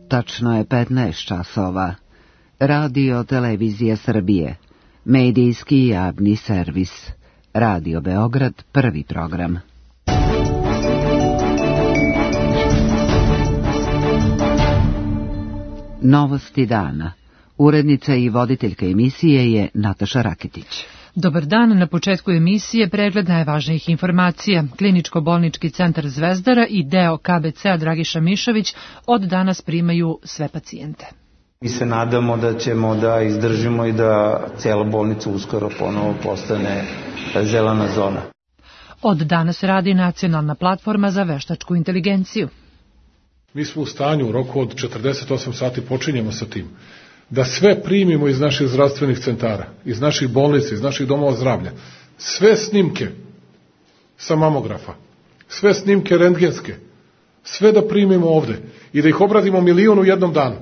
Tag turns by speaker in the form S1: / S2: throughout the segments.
S1: Tačno je 15 časova. Radio Televizija Srbije. Medijski javni servis. Radio Beograd, prvi program. Novosti dana. Urednica i voditeljka emisije je Nataša Raketić.
S2: Dobar dan, na početku emisije pregled najvažnijih informacija. Kliničko-bolnički centar Zvezdara i deo KBC-a Dragiša Mišović od danas primaju sve pacijente.
S3: Mi se nadamo da ćemo da izdržimo i da cijela bolnica uskoro ponovo postane zelena zona.
S2: Od danas radi nacionalna platforma za veštačku inteligenciju.
S4: Mi smo u stanju, u roku od 48 sati počinjemo sa tim, da sve primimo iz naših zdravstvenih centara, iz naših bolnica, iz naših domova zdravlja. Sve snimke sa mamografa, sve snimke rentgenske, sve da primimo ovde i da ih obradimo 1.000.000 u jednom danu.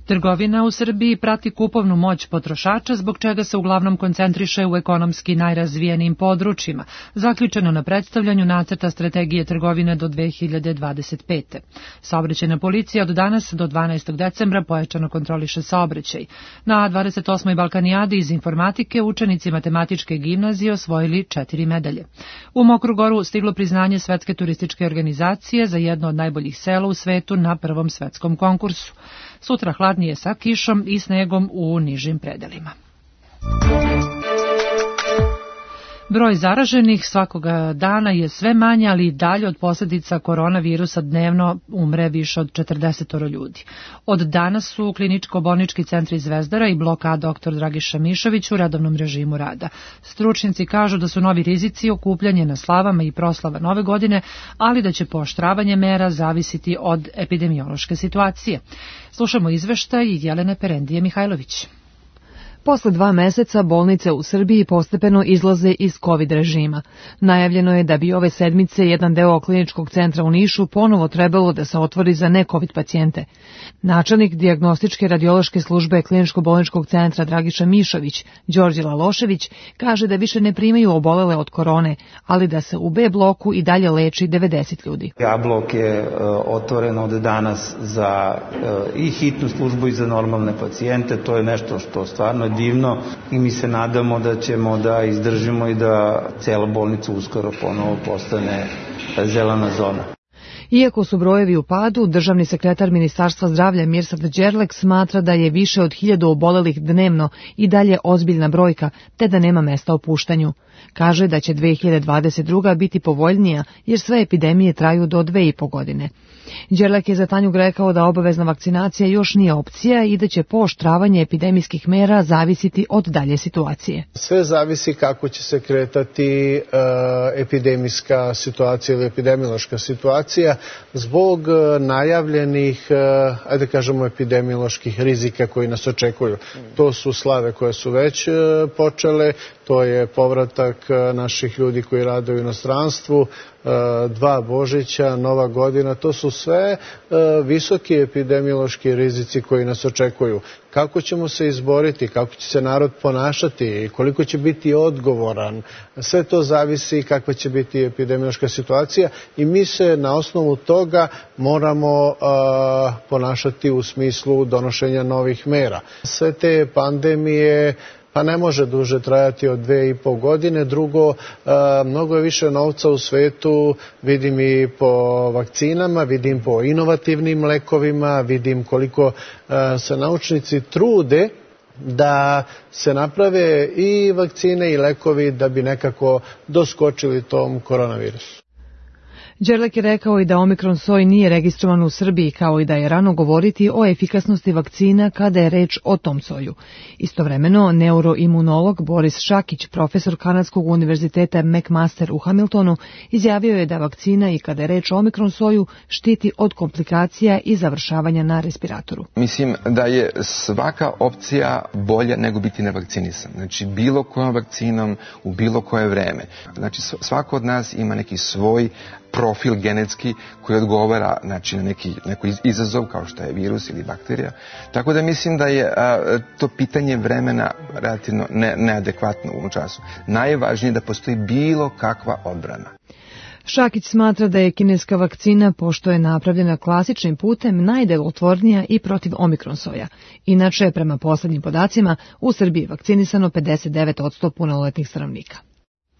S2: Trgovina u Srbiji prati kupovnu moć potrošača, zbog čega se uglavnom koncentriše u ekonomski najrazvijenijim područjima, zaključeno na predstavljanju nacrta strategije trgovine do 2025. Saobraćajna policija od danas do 12. decembra pojačano kontroliše saobraćaj. Na 28. Balkanijadi iz informatike učenici matematičke gimnazije osvojili 4 medalje. U Mokru Goru stiglo priznanje Svetske turističke organizacije za jedno od najboljih sela u svetu na prvom svetskom konkursu. Sutra hladnije sa kišom i snegom u nižim predelima. Broj zaraženih svakoga dana je sve manje, ali i dalje od posljedica koronavirusa dnevno umre više od 40 ljudi. Od danas su kliničko-bolnički centri Zvezdara i blok A dr. Dragiša Mišović u redovnom režimu rada. Stručnjaci kažu da su novi rizici okupljanje na slavama i proslava Nove godine, ali da će pooštravanje mera zavisiti od epidemiološke situacije. Slušamo izveštaj Jelene Perendije Mihajlović.
S5: Posle 2 meseca bolnice u Srbiji postepeno izlaze iz COVID režima. Najavljeno je da bi ove sedmice jedan deo kliničkog centra u Nišu ponovo trebalo da se otvori za ne-COVID pacijente. Načelnik dijagnostičke radiološke službe kliničko-bolničkog centra Dragiša Mišović, Đorđe Lalošević, kaže da više ne primaju obolele od korone, ali da se u B bloku i dalje leči 90 ljudi.
S3: A blok je otvoren od danas za i hitnu službu i za normalne pacijente. To je nešto što stvarno divno i mi se nadamo da ćemo da izdržimo i da cijela bolnica uskoro ponovo postane zelena zona.
S5: Iako su brojevi u padu, državni sekretar Ministarstva zdravlja Mirsad Đerlek smatra da je više od 1000 obolelih dnevno i dalje ozbiljna brojka, te da nema mesta opuštanju. Kaže da će 2022. biti povoljnija jer sve epidemije traju do 2,5 godine. Đerlek je za Tanjug rekao da obavezna vakcinacija još nije opcija i da će pooštravanje epidemijskih mera zavisiti od dalje situacije.
S6: Sve zavisi kako će se kretati epidemijska situacija ili epidemiološka situacija zbog najavljenih, ajde kažemo, epidemioloških rizika koji nas očekuju. To su slave koje su već počele, to je povratak naših ljudi koji rade u inostranstvu, 2 Božića, Nova godina, to su sve visoki epidemiološki rizici koji nas očekuju. Kako ćemo se izboriti, kako će se narod ponašati, koliko će biti odgovoran, sve to zavisi kakva će biti epidemiološka situacija i mi se na osnovu toga moramo ponašati u smislu donošenja novih mera. Sve te pandemije pa ne može duže trajati od 2,5 godine. Drugo, mnogo je više novca u svetu, vidim i po vakcinama, vidim po inovativnim lekovima, vidim koliko se naučnici trude da se naprave i vakcine i lekovi da bi nekako doskočili tom koronavirusu.
S5: Đerlek je rekao i da omikron soj nije registrovan u Srbiji, kao i da je rano govoriti o efikasnosti vakcina kada je reč o tom soju. Istovremeno, neuroimunolog Boris Šakić, profesor Kanadskog univerziteta McMaster u Hamiltonu, izjavio je da vakcina i kada je reč o omikron soju štiti od komplikacija i završavanja na respiratoru.
S7: Mislim da je svaka opcija bolja nego biti nevakcinisan. Znači, bilo kojom vakcinom u bilo koje vreme. Znači, svako od nas ima neki svoj profil genetski koji odgovara, znači, na neki izazov kao što je virus ili bakterija. Tako da mislim da je to pitanje vremena relativno neadekvatno u ovom času. Najvažnije je da postoji bilo kakva odbrana.
S5: Šakić smatra da je kineska vakcina, pošto je napravljena klasičnim putem, najdelotvornija i protiv omikron soja. Inače, prema poslednjim podacima, u Srbiji je vakcinisano 59% punoletnih stanovnika.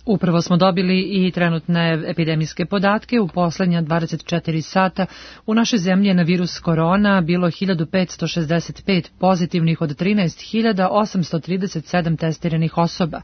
S2: Upravo smo dobili i trenutne epidemijske podatke. U poslednja 24 sata u našoj zemlji je na virus korona bilo 1565 pozitivnih od 13.837 testiranih osoba.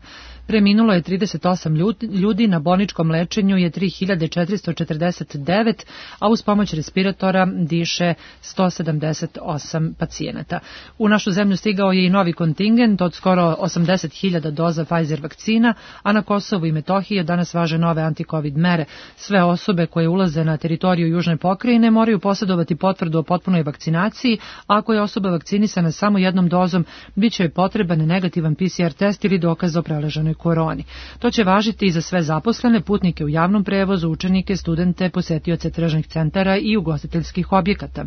S2: Preminulo je 38 ljudi, na bolničkom lečenju je 3449, a uz pomoć respiratora diše 178 pacijenata. U našu zemlju stigao je i novi kontingent od skoro 80.000 doza Pfizer vakcina, a na Kosovu i Metohiji danas važe nove anti-covid mere. Sve osobe koje ulaze na teritoriju Južne pokrajine moraju posjedovati potvrdu o potpunoj vakcinaciji, a ako je osoba vakcinisana samo jednom dozom, bit će joj potreban negativan PCR test ili dokaz o preleženoj koroni. To će važiti i za sve zaposlene, putnike u javnom prevozu, učenike, studente, posetioce tržnih centara i ugostiteljskih objekata.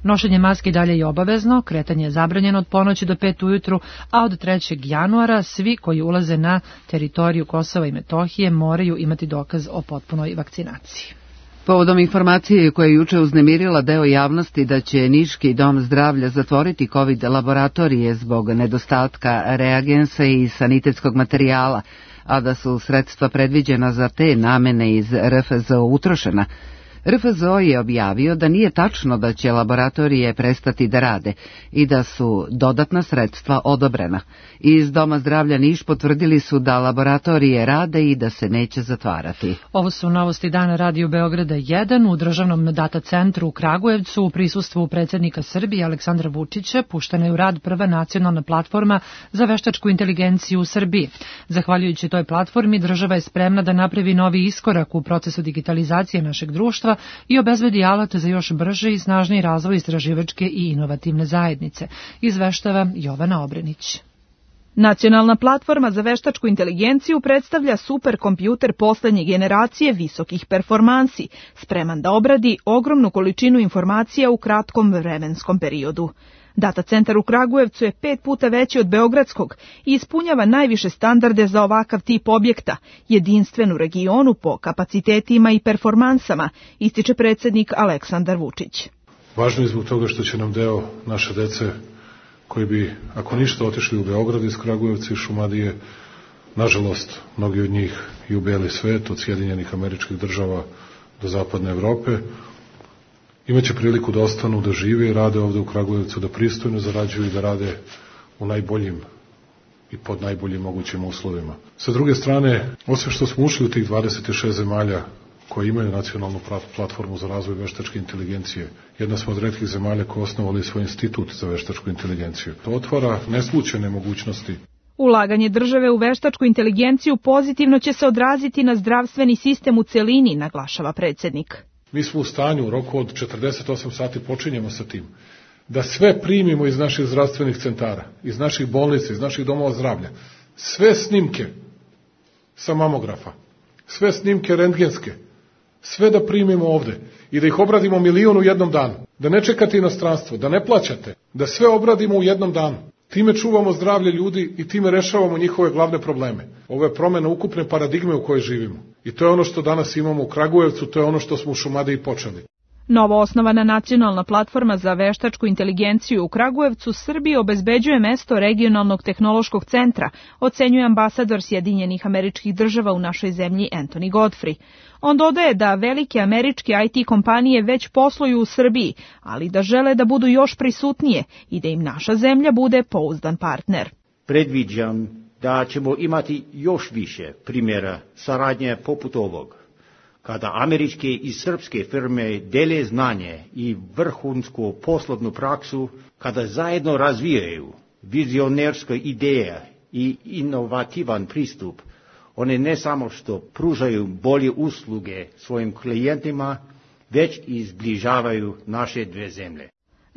S2: Nošenje maske dalje je obavezno, kretanje je zabranjeno od ponoći do 5 ujutru, a od 3. januara svi koji ulaze na teritoriju Kosova i Metohije moraju imati dokaz o potpunoj vakcinaciji.
S1: Povodom informacije koja je juče uznemirila deo javnosti da će Niški dom zdravlja zatvoriti COVID laboratorije zbog nedostatka reagensa i sanitetskog materijala, a da su sredstva predviđena za te namene iz RFZO utrošena, RFZO je objavio da nije tačno da će laboratorije prestati da rade i da su dodatna sredstva odobrena. Iz Doma zdravlja Niš potvrdili su da laboratorije rade i da se neće zatvarati.
S2: Ovo su novosti dana Radio Beograda 1 u državnom data centru u Kragujevcu u prisustvu predsjednika Srbije Aleksandra Vučića puštena je u rad prva nacionalna platforma za veštačku inteligenciju u Srbiji. Zahvaljujući toj platformi država je spremna da napravi novi iskorak u procesu digitalizacije našeg društva i obezbedi alat za još brži i snažniji razvoj istraživačke i inovativne zajednice, izveštava Jovana Obrenić.
S8: Nacionalna platforma za veštačku inteligenciju predstavlja superkompjuter poslednje generacije visokih performansi, spreman da obradi ogromnu količinu informacija u kratkom vremenskom periodu. Data centar u Kragujevcu je 5 puta veći od beogradskog i ispunjava najviše standarde za ovakav tip objekta, jedinstven u regionu po kapacitetima i performansama, ističe predsjednik Aleksandar Vučić.
S4: Važno je zbog toga što će nam deo naše dece koji bi, ako ništa, otišli u Beograd iz Kragujevca i Šumadije, nažalost, mnogi od njih i u beli svet, od Sjedinjenih Američkih Država do Zapadne Evrope, imaće priliku da ostanu, da žive i rade ovde u Kragujevcu, da pristojno zarađuju i da rade u najboljim i pod najboljim mogućim uslovima. Sa druge strane, osim što smo ušli u tih 26 zemalja koje imaju nacionalnu platformu za razvoj veštačke inteligencije, jedna smo od retkih zemalja koje osnovali svoj institut za veštačku inteligenciju. To otvara neslućene mogućnosti.
S8: Ulaganje države u veštačku inteligenciju pozitivno će se odraziti na zdravstveni sistem u celini, naglašava predsjednik.
S4: Mi smo u stanju, u roku od 48 sati počinjemo sa tim, da sve primimo iz naših zdravstvenih centara, iz naših bolnica, iz naših domova zdravlja, sve snimke sa mamografa, sve snimke rentgenske, sve da primimo ovde i da ih obradimo 1.000.000 u jednom danu, da ne čekate inostranstvo, da ne plaćate, da sve obradimo u jednom danu. Time čuvamo zdravlje ljudi i time rešavamo njihove glavne probleme. Ovo je promjena ukupne paradigme u kojoj živimo. I to je ono što danas imamo u Kragujevcu, to je ono što smo u Šumadiji počeli.
S8: Novo osnovana nacionalna platforma za veštačku inteligenciju u Kragujevcu Srbiji obezbeđuje mesto regionalnog tehnološkog centra, ocenjuje ambasador Sjedinjenih Američkih Država u našoj zemlji Anthony Godfrey. On dodaje da velike američke IT kompanije već posluju u Srbiji, ali da žele da budu još prisutnije i da im naša zemlja bude pouzdan partner.
S9: Predviđam da ćemo imati još više primjera saradnje poput ovog, kada američke i srpske firme dele znanje i vrhunsku poslovnu praksu, kada zajedno razvijaju vizionerske ideje i inovativan pristup, one ne samo što pružaju bolje usluge svojim klijentima, već i zbližavaju naše dve zemlje.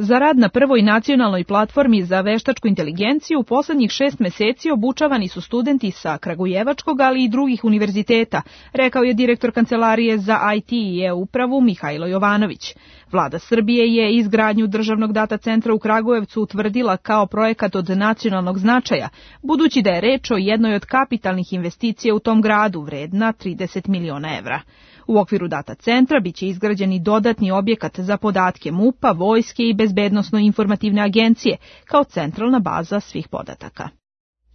S8: Za rad na prvoj nacionalnoj platformi za veštačku inteligenciju u poslednjih 6 meseci obučavani su studenti sa Kragujevačkog, ali i drugih univerziteta, rekao je direktor Kancelarije za IT i e-upravu Mihajlo Jovanović. Vlada Srbije je izgradnju državnog data centra u Kragujevcu utvrdila kao projekat od nacionalnog značaja, budući da je reč o jednoj od kapitalnih investicija u tom gradu vredna 30 miliona evra. U okviru data centra biće izgrađen i dodatni objekat za podatke MUP-a, vojske i bezbednosno-informativne agencije kao centralna baza svih podataka.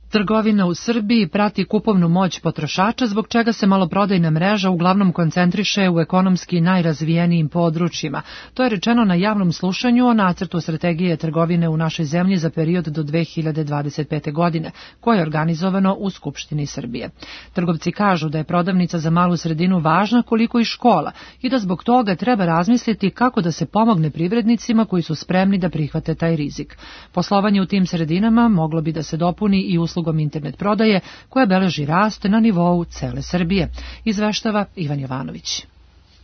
S2: Trgovina u Srbiji prati kupovnu moć potrošača, zbog čega se maloprodajna mreža uglavnom koncentriše u ekonomski najrazvijenijim područjima. To je rečeno na javnom slušanju o nacrtu strategije trgovine u našoj zemlji za period do 2025. godine, koje je organizovano u Skupštini Srbije. Trgovci kažu da je prodavnica za malu sredinu važna koliko i škola i da zbog toga treba razmisliti kako da se pomogne privrednicima koji su spremni da prihvate taj rizik. Poslovanje u tim sredinama moglo bi da se dopuni i uslugom internet prodaje koja beleži rast na nivou cele Srbije, izveštava Ivan Jovanović.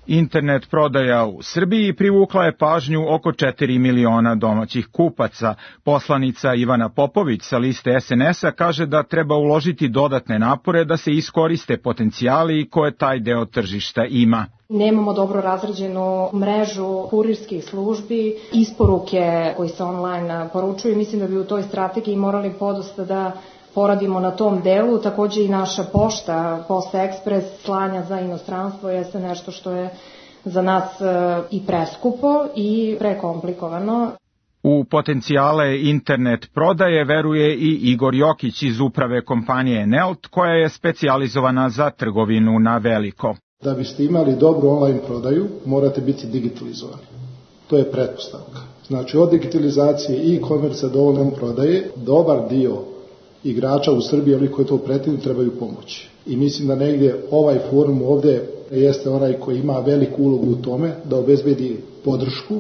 S10: Internet prodaja u Srbiji privukla je pažnju oko 4 miliona domaćih kupaca. Poslanica Ivana Popović sa liste SNS-a kaže da treba uložiti dodatne napore da se iskoriste potencijali koje taj deo tržišta ima.
S11: Nemamo dobro razrađenu mrežu kurirskih službi, isporuke koji se online poručuju. Mislim da bi u toj strategiji morali podosta da poradimo na tom delu. Takođe i naša pošta, Posta Ekspres, slanja za inostranstvo jeste nešto što je za nas i preskupo i prekomplikovano.
S10: U potencijale internet prodaje veruje i Igor Jokić iz uprave kompanije Nelt, koja je specijalizovana za trgovinu na veliko.
S12: Da biste imali dobru online prodaju, morate biti digitalizovani. To je pretpostavka. Znači, od digitalizacije i e-commerce do online prodaje, dobar dio igrača u Srbiji, oni koji to pretenduju, trebaju pomoći. I mislim da negdje ovaj forum ovdje jeste onaj koji ima veliku ulogu u tome da obezbedi podršku,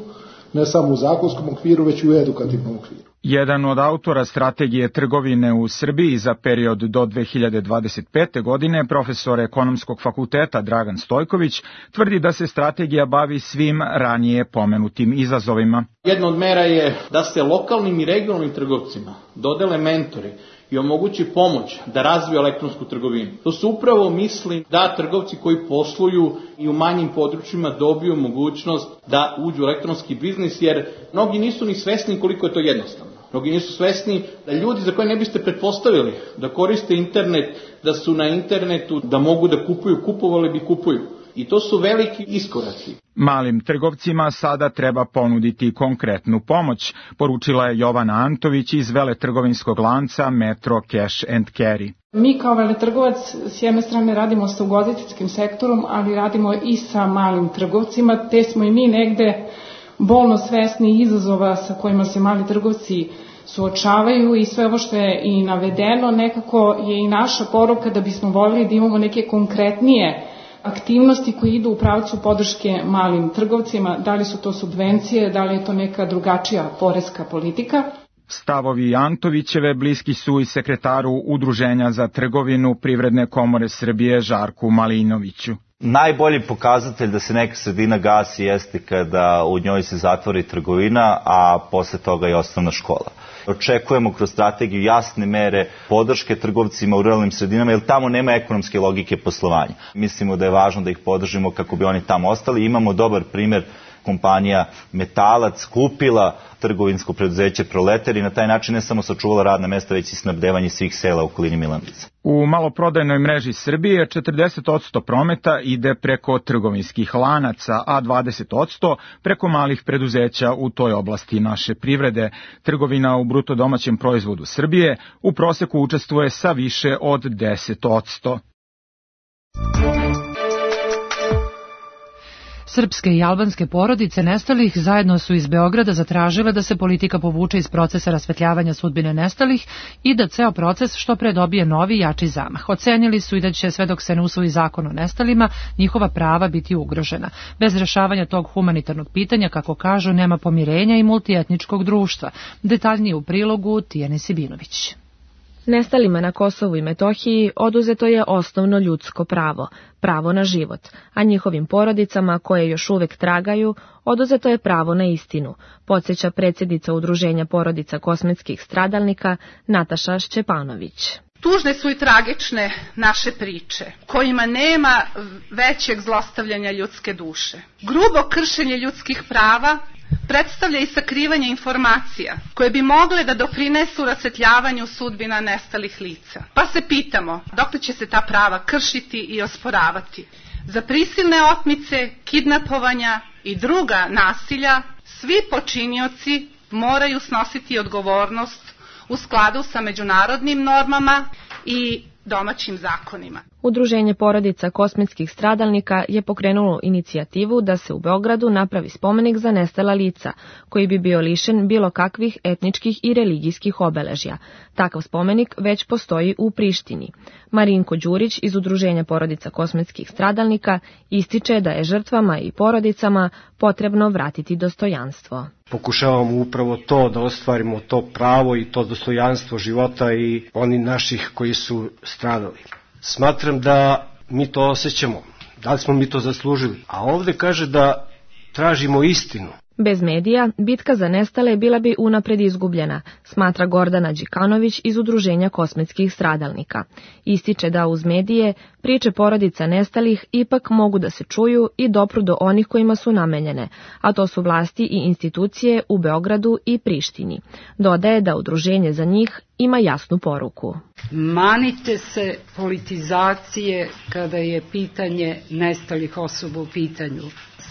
S12: ne samo u zakonskom okviru, već i u edukativnom okviru.
S10: Jedan od autora strategije trgovine u Srbiji za period do 2025. godine, profesor ekonomskog fakulteta Dragan Stojković, tvrdi da se strategija bavi svim ranije pomenutim izazovima.
S13: Jedna od mera je da se lokalnim i regionalnim trgovcima dodele mentori i omogući pomoć da razviju elektronsku trgovinu. To su upravo misli da trgovci koji posluju i u manjim područjima dobiju mogućnost da uđu u elektronski biznis, jer mnogi nisu ni svesni koliko je to jednostavno. Mnogi nisu svesni da ljudi za koje ne biste pretpostavili da koriste internet, da su na internetu, da mogu da kupuju, kupovali bi kupuju. I to su veliki iskoraci.
S10: Malim trgovcima sada treba ponuditi konkretnu pomoć, poručila je Jovana Antović iz veletrgovinskog lanca Metro Cash and Carry.
S14: Mi kao veletrgovac s jedne strane radimo sa ugostiteljskim sektorom, ali radimo i sa malim trgovcima, te smo i mi negde bolno svesni izazova sa kojima se mali trgovci suočavaju i sve ovo što je i navedeno nekako je i naša poruka da bismo voljeli da imamo neke konkretnije aktivnosti koje idu u pravcu podrške malim trgovcima, da li su to subvencije, da li je to neka drugačija poreska politika.
S10: Stavovi Antovićeve bliski su i sekretaru Udruženja za trgovinu Privredne komore Srbije Žarku Malinoviću.
S15: Najbolji pokazatelj da se neka sredina gasi jeste kada u njoj se zatvori trgovina, a posle toga i osnovna škola. Očekujemo kroz strategiju jasne mere podrške trgovcima u ruralnim sredinama, jer tamo nema ekonomske logike poslovanja. Mislimo da je važno da ih podržimo kako bi oni tamo ostali. Imamo dobar primer, kompanija Metalac kupila trgovinsko preduzeće Proletar i na taj način ne samo sačuvala radna mesta, već i snabdevanje svih sela u okolini Milanovca.
S10: U maloprodajnoj mreži Srbije 40% prometa ide preko trgovinskih lanaca, a 20% preko malih preduzeća u toj oblasti naše privrede. Trgovina u bruto domaćem proizvodu Srbije u proseku učestvuje sa više od 10%.
S2: Srpske i albanske porodice nestalih zajedno su iz Beograda zatražile da se politika povuče iz procesa rasvetljavanja sudbine nestalih i da ceo proces što pre dobije novi jači zamah. Ocenili su i da će sve dok se ne usvoji zakon o nestalima njihova prava biti ugrožena. Bez rešavanja tog humanitarnog pitanja, kako kažu, nema pomirenja i multietničkog društva. Detaljnije u prilogu Tijane Sibinović.
S16: Nestalima na Kosovu i Metohiji oduzeto je osnovno ljudsko pravo, pravo na život, a njihovim porodicama koje još uvek tragaju, oduzeto je pravo na istinu, podsjeća predsjednica Udruženja porodica kosmetskih stradalnika Nataša Šćepanović.
S17: Tužne su i tragične naše priče, kojima nema većeg zlostavljanja ljudske duše. Grubo kršenje ljudskih prava predstavlja i sakrivanje informacija koje bi mogle da doprinesu rasvetljavanju sudbina nestalih lica. Pa se pitamo, dokle će se ta prava kršiti i osporavati? Za prisilne otmice, kidnapovanja i druga nasilja svi počinioci moraju snositi odgovornost u skladu sa međunarodnim normama i domaćim zakonima.
S16: Udruženje porodica kosmetskih stradalnika je pokrenulo inicijativu da se u Beogradu napravi spomenik za nestala lica, koji bi bio lišen bilo kakvih etničkih i religijskih obeležja. Takav spomenik već postoji u Prištini. Marinko Đurić iz Udruženja porodica kosmetskih stradalnika ističe da je žrtvama i porodicama potrebno vratiti dostojanstvo.
S18: Pokušavamo upravo to da ostvarimo to pravo i to dostojanstvo života i oni naših koji su stradali. Smatram da mi to osjećamo, da li smo mi to zaslužili, a ovde kaže da tražimo istinu.
S16: Bez medija, bitka za nestale bila bi unapred izgubljena, smatra Gordana Đikanović iz Udruženja kosmetskih stradalnika. Ističe da uz medije priče porodica nestalih ipak mogu da se čuju i dopru do onih kojima su namenjene, a to su vlasti i institucije u Beogradu i Prištini. Dodaje da udruženje za njih ima jasnu poruku.
S19: Manite se politizacije kada je pitanje nestalih osoba u pitanju.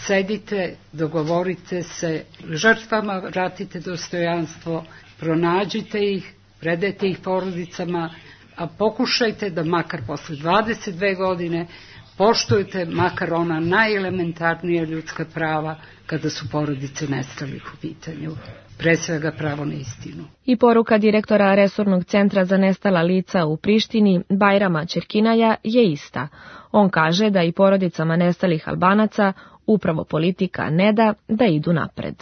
S19: Sedite, dogovorite se, žrtvama vratite dostojanstvo, pronađite ih, predajte ih porodicama, a pokušajte da makar posle 22 godine poštujete makar ona najelementarnija ljudska prava kada su porodice nestalih u pitanju. Pre svega pravo na istinu.
S16: I poruka direktora Resornog centra za nestala lica u Prištini, Bajrama Čerkinaja, je ista. On kaže da i porodicama nestalih Albanaca upravo politika ne da idu napred.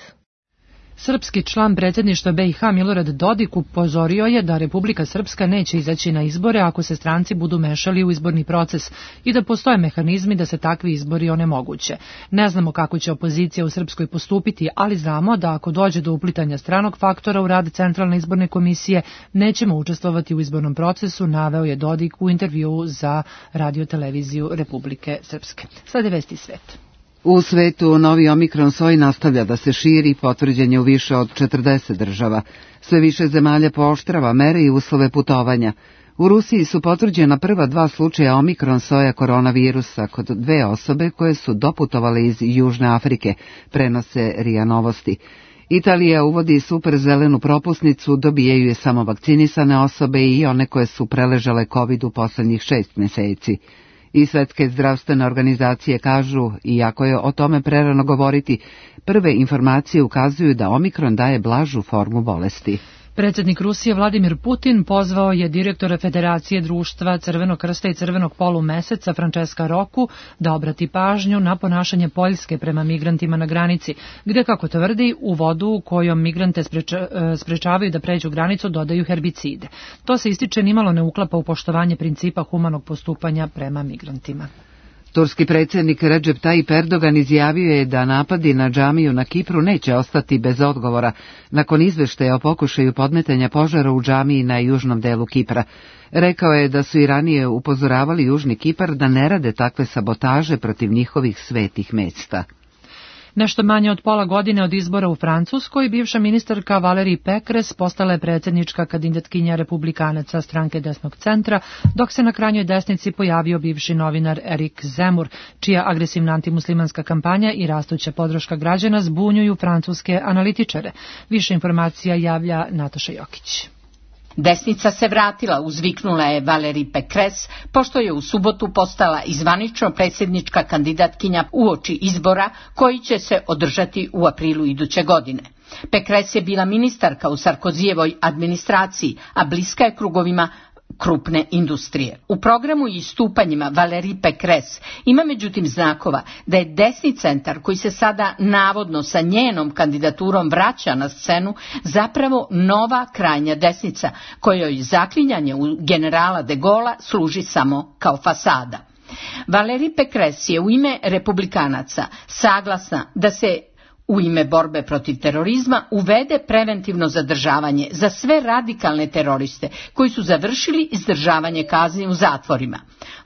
S2: Srpski član predsjedništva BiH Milorad Dodik upozorio je da Republika Srpska neće izaći na izbore ako se stranci budu mešali u izborni proces i da postoje mehanizmi da se takvi izbori onemoguće. Ne znamo kako će opozicija u Srpskoj postupiti, ali znamo da ako dođe do uplitanja stranog faktora u rad Centralne izborne komisije, nećemo učestvovati u izbornom procesu, naveo je Dodik u intervjuu za Radio-televiziju Republike Srpske. Sada je vesti svet.
S1: U svetu novi omikron soj nastavlja da se širi, potvrđen je u više od 40 država. Sve više zemalja pooštrava mere i uslove putovanja. U Rusiji su potvrđena prva 2 slučaja omikron soja koronavirusa kod 2 osobe koje su doputovale iz Južne Afrike, prenose RIA Novosti. Italija uvodi super zelenu propusnicu, dobijaju je samo vakcinisane osobe i one koje su preležale COVID u poslednjih 6 meseci. I Svetske zdravstvene organizacije kažu, iako je o tome prerano govoriti, prve informacije ukazuju da omikron daje blažu formu bolesti.
S2: Predsjednik Rusije Vladimir Putin pozvao je direktora Federacije društva Crvenog krsta i Crvenog polumeseca Francesca Roku da obrati pažnju na ponašanje Poljske prema migrantima na granici, gdje, kako tvrdi, u vodu kojom migrante sprečavaju da pređu granicu dodaju herbicide. To se ističe nimalo ne uklapa u poštovanje principa humanog postupanja prema migrantima.
S1: Turski predsjednik Recep Tayyip Erdogan izjavio je da napadi na džamiju na Kipru neće ostati bez odgovora nakon izveštaja o pokušaju podmetanja požara u džamiji na južnom delu Kipra. Rekao je da su i ranije upozoravali Južni Kipar da ne rade takve sabotaže protiv njihovih svetih mesta.
S2: Nešto manje od pola godine od izbora u Francuskoj, bivša ministarka Valérie Pécresse postala je predsjednička kandidatkinja republikanaca stranke desnog centra, dok se na krajnjoj desnici pojavio bivši novinar Erik Zemmour, čija agresivna antimuslimanska kampanja i rastuća podrška građana zbunjuju francuske analitičare. Više informacija javlja Nataša Jokić.
S20: Desnica se vratila, uzviknula je Valérie Pécresse, pošto je u subotu postala i zvanično predsjednička kandidatkinja uoči izbora koji će se održati u aprilu iduće godine. Pécresse je bila ministarka u Sarkozijevoj administraciji, a bliska je krugovima krupne industrije. U programu i istupanjima Valérie Pécresse ima međutim znakova da je desni centar koji se sada navodno sa njenom kandidaturom vraća na scenu zapravo nova krajnja desnica kojoj zaklinjanje u generala de Gaulle'a služi samo kao fasada. Valérie Pécresse je u ime republikanaca saglasna da se u ime borbe protiv terorizma uvede preventivno zadržavanje za sve radikalne teroriste koji su završili izdržavanje kazni u zatvorima.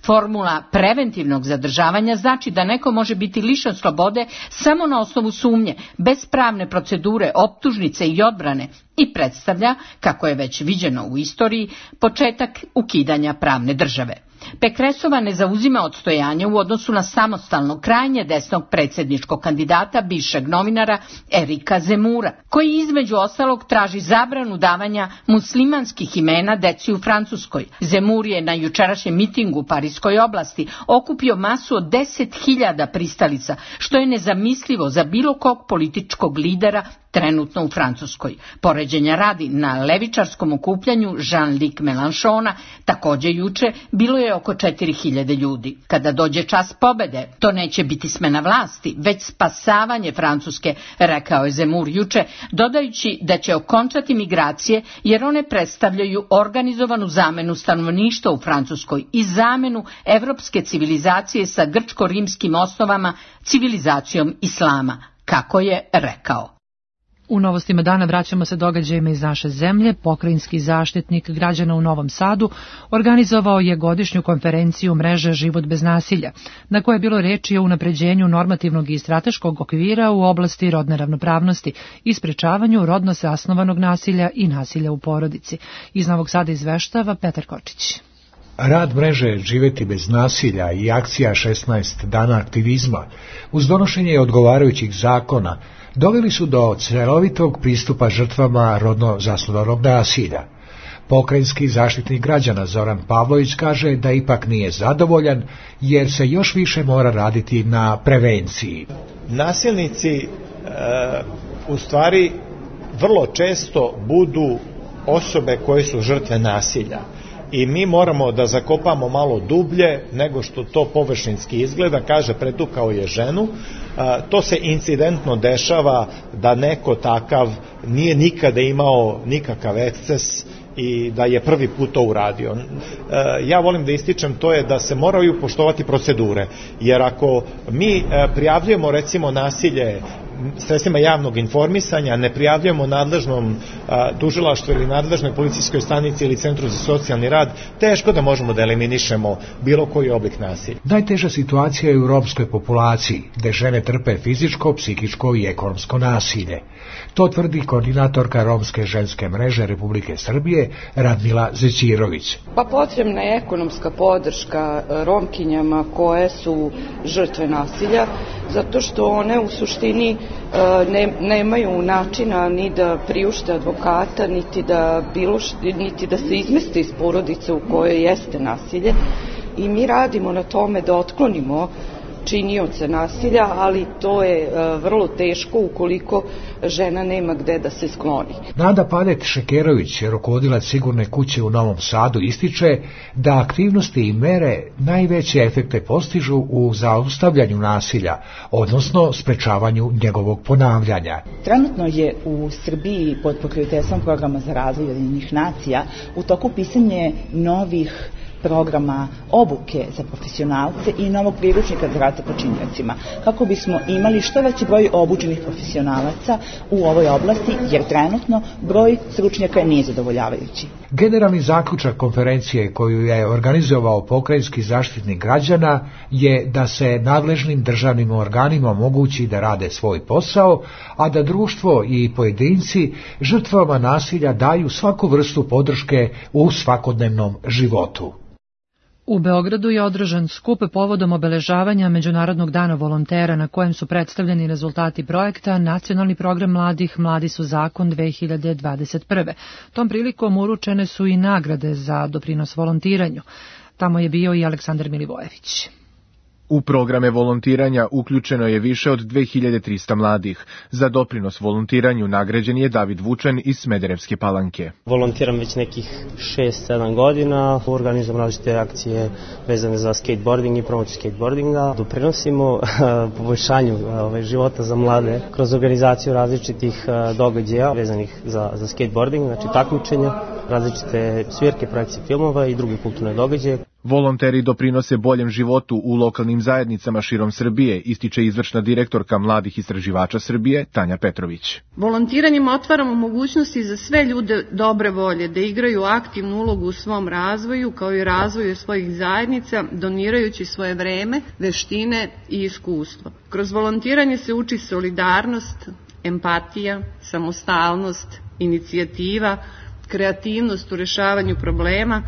S20: Formula preventivnog zadržavanja znači da neko može biti lišen slobode samo na osnovu sumnje, bez pravne procedure, optužnice i odbrane i predstavlja, kako je već viđeno u istoriji, početak ukidanja pravne države. Pécressova ne zauzima odstojanje u odnosu na samostalno krajnje desnog predsjedničkog kandidata, bivšeg novinara Erika Zemura, koji između ostalog traži zabranu davanja muslimanskih imena deci u Francuskoj. Zemur je na jučerašnjem mitingu u Pariskoj oblasti okupio masu od 10.000 pristalica, što je nezamislivo za bilo kog političkog lidera trenutno u Francuskoj. Poređenja radi, na levičarskom okupljanju Jean-Luc Mélenchona također juče bilo je oko 4.000 ljudi. Kada dođe čas pobede, to neće biti smena vlasti, već spasavanje Francuske, rekao je Zemur juče, dodajući da će okončati migracije jer one predstavljaju organizovanu zamenu stanovništva u Francuskoj i zamenu evropske civilizacije sa grčko-rimskim osnovama, civilizacijom islama, kako je rekao.
S2: U novostima dana vraćamo se događajima iz naše zemlje. Pokrajinski zaštitnik građana u Novom Sadu organizovao je godišnju konferenciju mreže Život bez nasilja, na kojoj je bilo reči o unapređenju normativnog i strateškog okvira u oblasti rodne ravnopravnosti i sprečavanju rodno zasnovanog nasilja i nasilja u porodici. Iz Novog Sada izveštava Petar Kočić.
S21: Rad mreže Živeti bez nasilja i akcija 16 dana aktivizma uz donošenje odgovarajućih zakona doveli su do celovitog pristupa žrtvama rodno zasnovanog nasilja. Pokrajinski zaštitnik građana Zoran Pavlović kaže da ipak nije zadovoljan jer se još više mora raditi na prevenciji.
S22: Nasilnici u stvari vrlo često budu osobe koje su žrtve nasilja. I mi moramo da zakopamo malo dublje nego što to površinski izgleda, kaže pretukao je ženu. To se incidentno dešava da neko takav nije nikada imao nikakav eksces i da je prvi put to uradio. Ja volim da ističem to je da se moraju poštovati procedure, jer ako mi prijavljujemo recimo nasilje sredstvima javnog informisanja, ne prijavljujemo nadležnom tužilaštvu ili nadležnoj policijskoj stanici ili centru za socijalni rad, teško da možemo da eliminišemo bilo koji oblik nasilja.
S21: Najteža situacija je u romskoj populaciji, gde žene trpe fizičko, psihičko i ekonomsko nasilje. To tvrdi koordinatorka Romske ženske mreže Republike Srbije Radmila Zećirović.
S23: Pa potrebna je ekonomska podrška Romkinjama koje su žrtve nasilja, zato što one u suštini nemaju načina ni da priušte advokata, niti da se izmeste iz porodice u kojoj jeste nasilje. I mi radimo na tome da otklonimo činioce nasilja, ali to je vrlo teško ukoliko žena nema gde da se skloni.
S21: Nada Padet-Šekerović, rukovodilac Sigurne kuće u Novom Sadu, ističe da aktivnosti i mere najveće efekte postižu u zaustavljanju nasilja, odnosno sprečavanju njegovog ponavljanja.
S24: Trenutno je u Srbiji pod pokroviteljstvom programa za razvoj Ujedinjenih nacija u toku pisanje novih programa obuke za profesionalce i novog priručnika za rad sa počiniocima, kako bismo imali što veći broj obučenih profesionalaca u ovoj oblasti, jer trenutno broj stručnjaka nije zadovoljavajući.
S21: Generalni zaključak konferencije koju je organizovao pokrajinski zaštitnik građana je da se nadležnim državnim organima omogući da rade svoj posao, a da društvo i pojedinci žrtvama nasilja daju svaku vrstu podrške u svakodnevnom životu.
S2: U Beogradu je održan skup povodom obeležavanja Međunarodnog dana volontera na kojem su predstavljeni rezultati projekta Nacionalni program mladih Mladi su zakon 2021. Tom prilikom uručene su i nagrade za doprinos volontiranju. Tamo je bio i Aleksandar Milivojević.
S3: U programe volontiranja uključeno je više od 2300 mladih. Za doprinos volontiranju nagrađen je David Vučan iz Smederevske Palanke.
S5: Volontiram već nekih 6-7 godina, organizujem različite akcije vezane za skateboarding i promociju skateboardinga. Doprinosimo poboljšanju života za mlade kroz organizaciju različitih događaja vezanih za skateboarding, znači takmičenja, različite svirke, projekcije filmova i druge kulturne događaje.
S3: Volonteri doprinose boljem životu u lokalnim zajednicama širom Srbije, ističe izvršna direktorka Mladih istraživača Srbije, Tanja Petrović.
S6: Volontiranjem otvaramo mogućnosti za sve ljude dobre volje da igraju aktivnu ulogu u svom razvoju, kao i razvoju svojih zajednica, donirajući svoje vreme, veštine i iskustvo. Kroz volontiranje se uči solidarnost, empatija, samostalnost, inicijativa, kreativnost u rešavanju problema,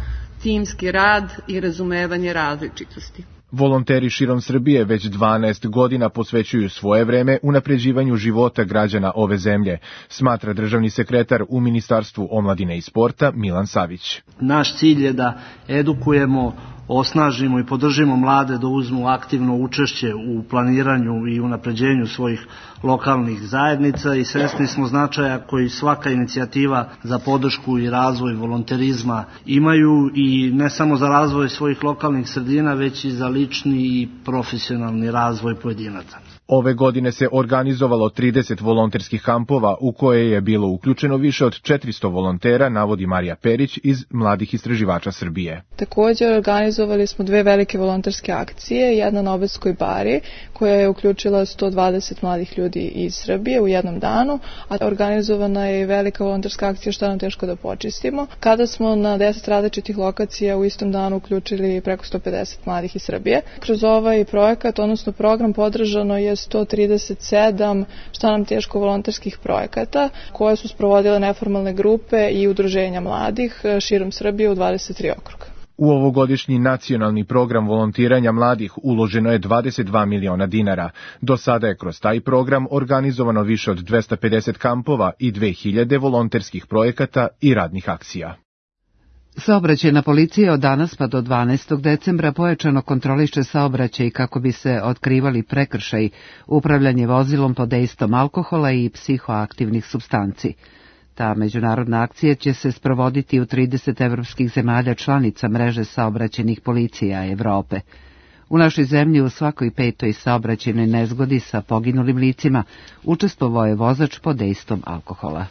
S6: timski rad i razumevanje različitosti.
S3: Volonteri širom Srbije već 12 godina posvećuju svoje vreme unapređivanju života građana ove zemlje, smatra državni sekretar u Ministarstvu omladine i sporta Milan Savić.
S7: Naš cilj je da edukujemo, osnažimo i podržimo mlade da uzmu aktivno učešće u planiranju i unapređenju svojih lokalnih zajednica i svesni smo značaja koji svaka inicijativa za podršku i razvoj volonterizma imaju i ne samo za razvoj svojih lokalnih sredina, već i za lični i profesionalni razvoj pojedinaca.
S3: Ove godine se organizovalo 30 volonterskih kampova u koje je bilo uključeno više od 400 volontera, navodi Marija Perić iz Mladih istraživača Srbije.
S25: Također organizovali smo 2 velike volonterske akcije, jedna na Obedskoj bari koja je uključila 120 mladih ljudi iz Srbije u jednom danu, a organizovana je i velika volonterska akcija Šta nam teško da počistimo, kada smo na 10 različitih lokacija u istom danu uključili preko 150 mladih iz Srbije. Kroz ovaj projekat, odnosno program, podržano je 137 šta nam teško volonterskih projekata koje su sprovodile neformalne grupe i udruženja mladih širom Srbije u 23 okruga.
S3: U ovogodišnji nacionalni program volontiranja mladih uloženo je 22 miliona dinara. Do sada je kroz taj program organizovano više od 250 kampova i 2000 volonterskih projekata i radnih akcija.
S1: Saobraćajna policija od danas pa do 12. decembra pojačano kontroliše saobraćaj kako bi se otkrivali prekršaji, upravljanje vozilom pod dejstvom alkohola i psihoaktivnih supstanci. Ta međunarodna akcija će se sprovoditi u 30 evropskih zemalja članica mreže saobraćajnih policija Evrope. U našoj zemlji u svakoj 5. saobraćajnoj nezgodi sa poginulim licima učestvovao je vozač pod dejstvom alkohola.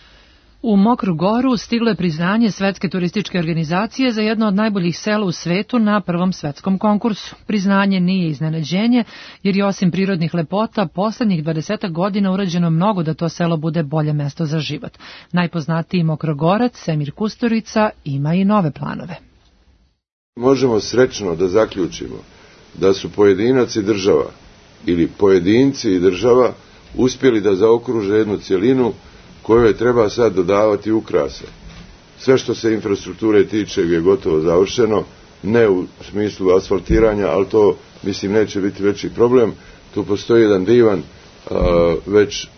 S2: U Mokru Goru stiglo je priznanje Svetske turističke organizacije za jedno od najboljih sela u svetu na prvom svetskom konkursu. Priznanje nije iznenađenje, jer je osim prirodnih lepota poslednjih 20 godina urađeno mnogo da to selo bude bolje mesto za život. Najpoznatiji Mokrogorac, Semir Kusturica, ima i nove planove.
S26: Možemo srećno da zaključimo da su pojedinac i država ili pojedinci i država uspjeli da zaokruže jednu cjelinu kojoj treba sad dodavati ukrase. Sve što se infrastrukture tiče je gotovo završeno, ne u smislu asfaltiranja, ali to, mislim, neće biti veći problem. Tu postoji jedan divan, već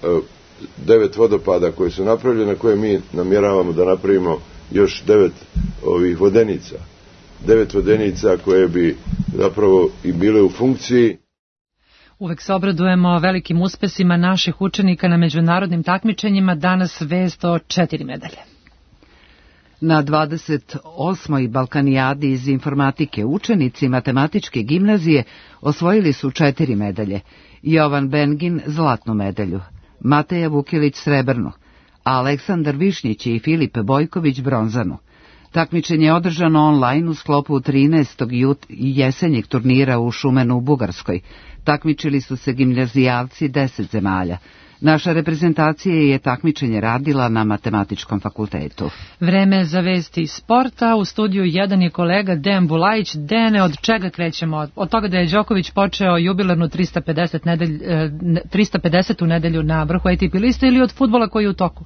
S26: 9 vodopada koji su napravljene, koje mi namjeravamo da napravimo još 9 ovih vodenica. 9 vodenica koje bi zapravo i bile u funkciji.
S2: Uvek se obradujemo velikim uspesima naših učenika na međunarodnim takmičenjima, danas vest o 4 medalje.
S1: Na 28. Balkanijadi iz informatike učenici matematičke gimnazije osvojili su 4 medalje. Jovan Bengin zlatnu medalju, Mateja Vukilić srebrnu, a Aleksandar Višnjić i Filip Bojković bronzanu. Takmičenje je održano online u sklopu 13. jesenjeg turnira u Šumenu u Bugarskoj. Takmičili su se gimnazijalci 10 zemalja. Naša reprezentacija je takmičenje radila na Matematičkom fakultetu.
S2: Vreme za vesti sporta. U studiju 1 je kolega Dejan Bulajić. Dejane, od čega krećemo? Od toga da je Đoković počeo jubilarnu 350. nedelju na vrhu ATP liste ili od fudbala koji je u toku?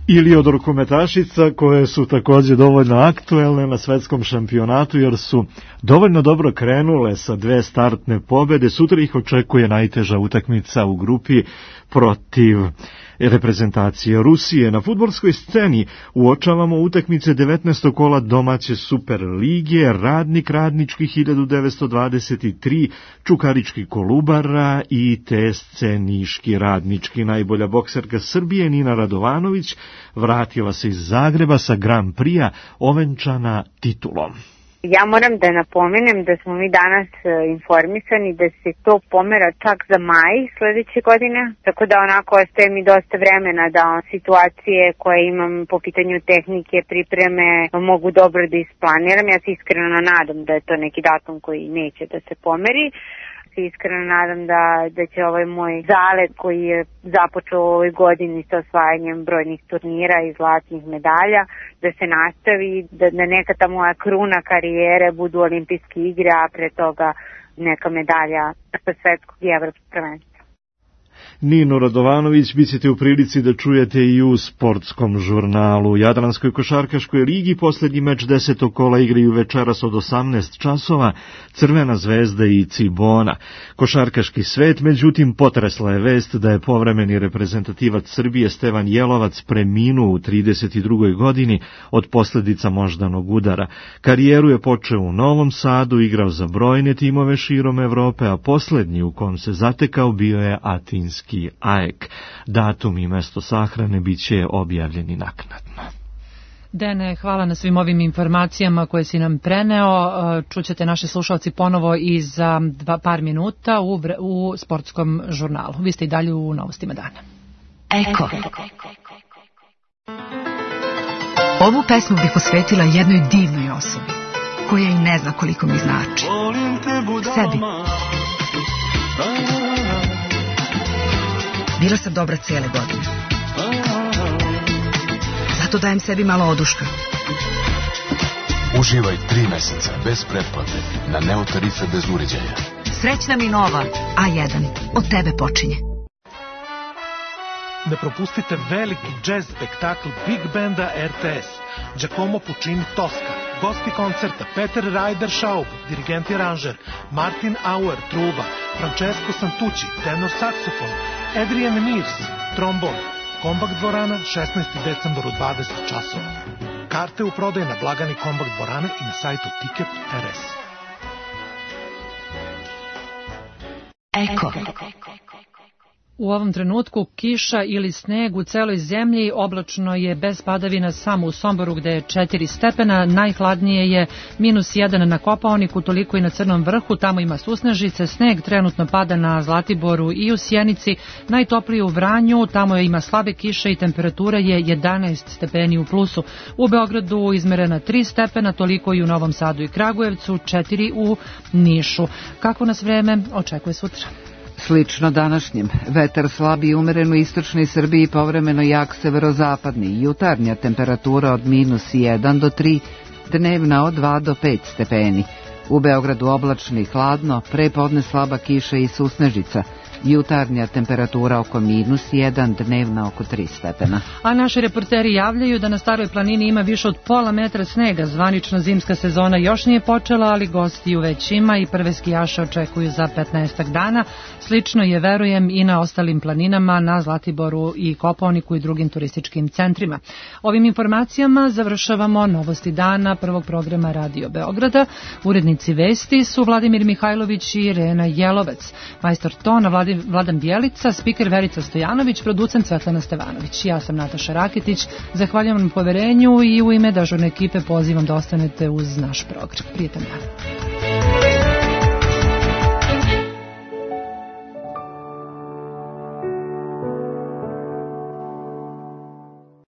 S27: Ili od rukometašica koje su također dovoljno aktuelne na svetskom šampionatu jer su dovoljno dobro krenule sa 2 startne pobjede. Sutra ih očekuje najteža utakmica u grupi protiv reprezentacije Rusije. Na fudbalskoj sceni uočavamo utakmice 19. kola domaće Super lige, Radnik Radnički 1923, Čukarički Kolubara i TSC Niški Radnički. Najbolja bokserka Srbije Nina Radovanović vratila se iz Zagreba sa Grand Prix-a ovenčana titulom.
S4: Ja moram da napomenem da smo mi danas informisani da se to pomera čak za maj sledeće godine, tako da onako ostaje mi dosta vremena da situacije koje imam po pitanju tehnike, pripreme mogu dobro da isplaniram. Ja se iskreno nadam da je to neki datum koji neće da se pomeri. Iskreno nadam da će ovaj moj zalet koji je započeo u ovoj godini sa osvajanjem brojnih turnira i zlatnih medalja, da se nastavi, da neka ta moja kruna karijere budu olimpijske igre, a pre toga neka medalja sa svetskog i evropskog prvenstva.
S27: Ninu Radovanović bit ćete u prilici da čujete i u sportskom žurnalu. U Jadranskoj košarkaškoj ligi poslednji meč 10. kola igraju večeras od 18 časova Crvena zvezda i Cibona. Košarkaški svet, međutim, potresla je vest da je povremeni reprezentativac Srbije Stevan Jelovac preminuo u 32. godini od posledica moždanog udara. Karijeru je počeo u Novom Sadu, igrao za brojne timove širom Evrope, a poslednji u kom se zatekao bio je Atinski AEK. Datum i mesto sahrane biće objavljeni naknadno.
S2: Dene, hvala na svim ovim informacijama koje si nam preneo. Čućete naše slušalci ponovo i za par minuta u sportskom žurnalu. Vi ste i dalje u novostima dana.
S8: Eko. Ovu pesmu bih posvetila jednoj divnoj osobi, koja i ne zna koliko mi znači. Sebi. Bila sam dobra cijele godine. Zato dajem sebi malo oduška.
S9: Uživaj 3 meseca bez pretplate na Neo tarife bez uređaja.
S8: Srećna mi nova A1. Od tebe počinje.
S11: Ne propustite veliki jazz spektakl Big Banda RTS. Giacomo Puccini Tosca. Gosti koncerta Peter Ryder Schaub, dirigent i aranžer, Martin Auer, truba, Francesco Santucci, tenor saksofon, Adrian Mears, trombon. Kombak dvorana, 16. decembar u 20 časova. Karte u prodaju na blagani Kombak dvorane i na sajtu Ticket.rs.
S8: Eko.
S2: U ovom trenutku kiša ili sneg u celoj zemlji, oblačno je bez padavina samo u Somboru gde je 4 stepena, najhladnije je -1 na Kopaoniku, toliko i na Crnom vrhu, tamo ima susnežice, sneg trenutno pada na Zlatiboru i u Sjenici, najtoplije u Vranju, tamo ima slabe kiše i temperatura je 11 stepeni u plusu. U Beogradu izmerena 3 stepena, toliko i u Novom Sadu i Kragujevcu, 4 u Nišu. Kako nas vreme očekuje sutra?
S1: Slično današnjem, vetar slabi i umeren u istočnoj Srbiji, povremeno jak severozapadni, jutarnja temperatura od -1 do 3, dnevna od 2 do 5 stepeni. U Beogradu oblačno i hladno, prepodne slaba kiša i susnežica, jutarnja temperatura oko -1, dnevna oko 3 stepena.
S2: A naši reporteri javljaju da na Staroj planini ima više od pola metra snega. Zvanična zimska sezona još nije počela, ali gostiju već ima i prve skijaše očekuju za 15 dana. Slično je, verujem, i na ostalim planinama, na Zlatiboru i Kopaoniku i drugim turističkim centrima. Ovim informacijama završavamo novosti dana prvog programa Radio Beograda. Urednici vesti su Vladimir Mihajlović i Irena Jelovec. Majstor tona Vladan Bjelica, spiker Verica Stojanović, producent Svetlana Stevanović. Ja sam Nataša Rakitić, zahvaljujem vam poverenju i u ime dežurne ekipe pozivam da ostanete uz naš program. Prijetan dan.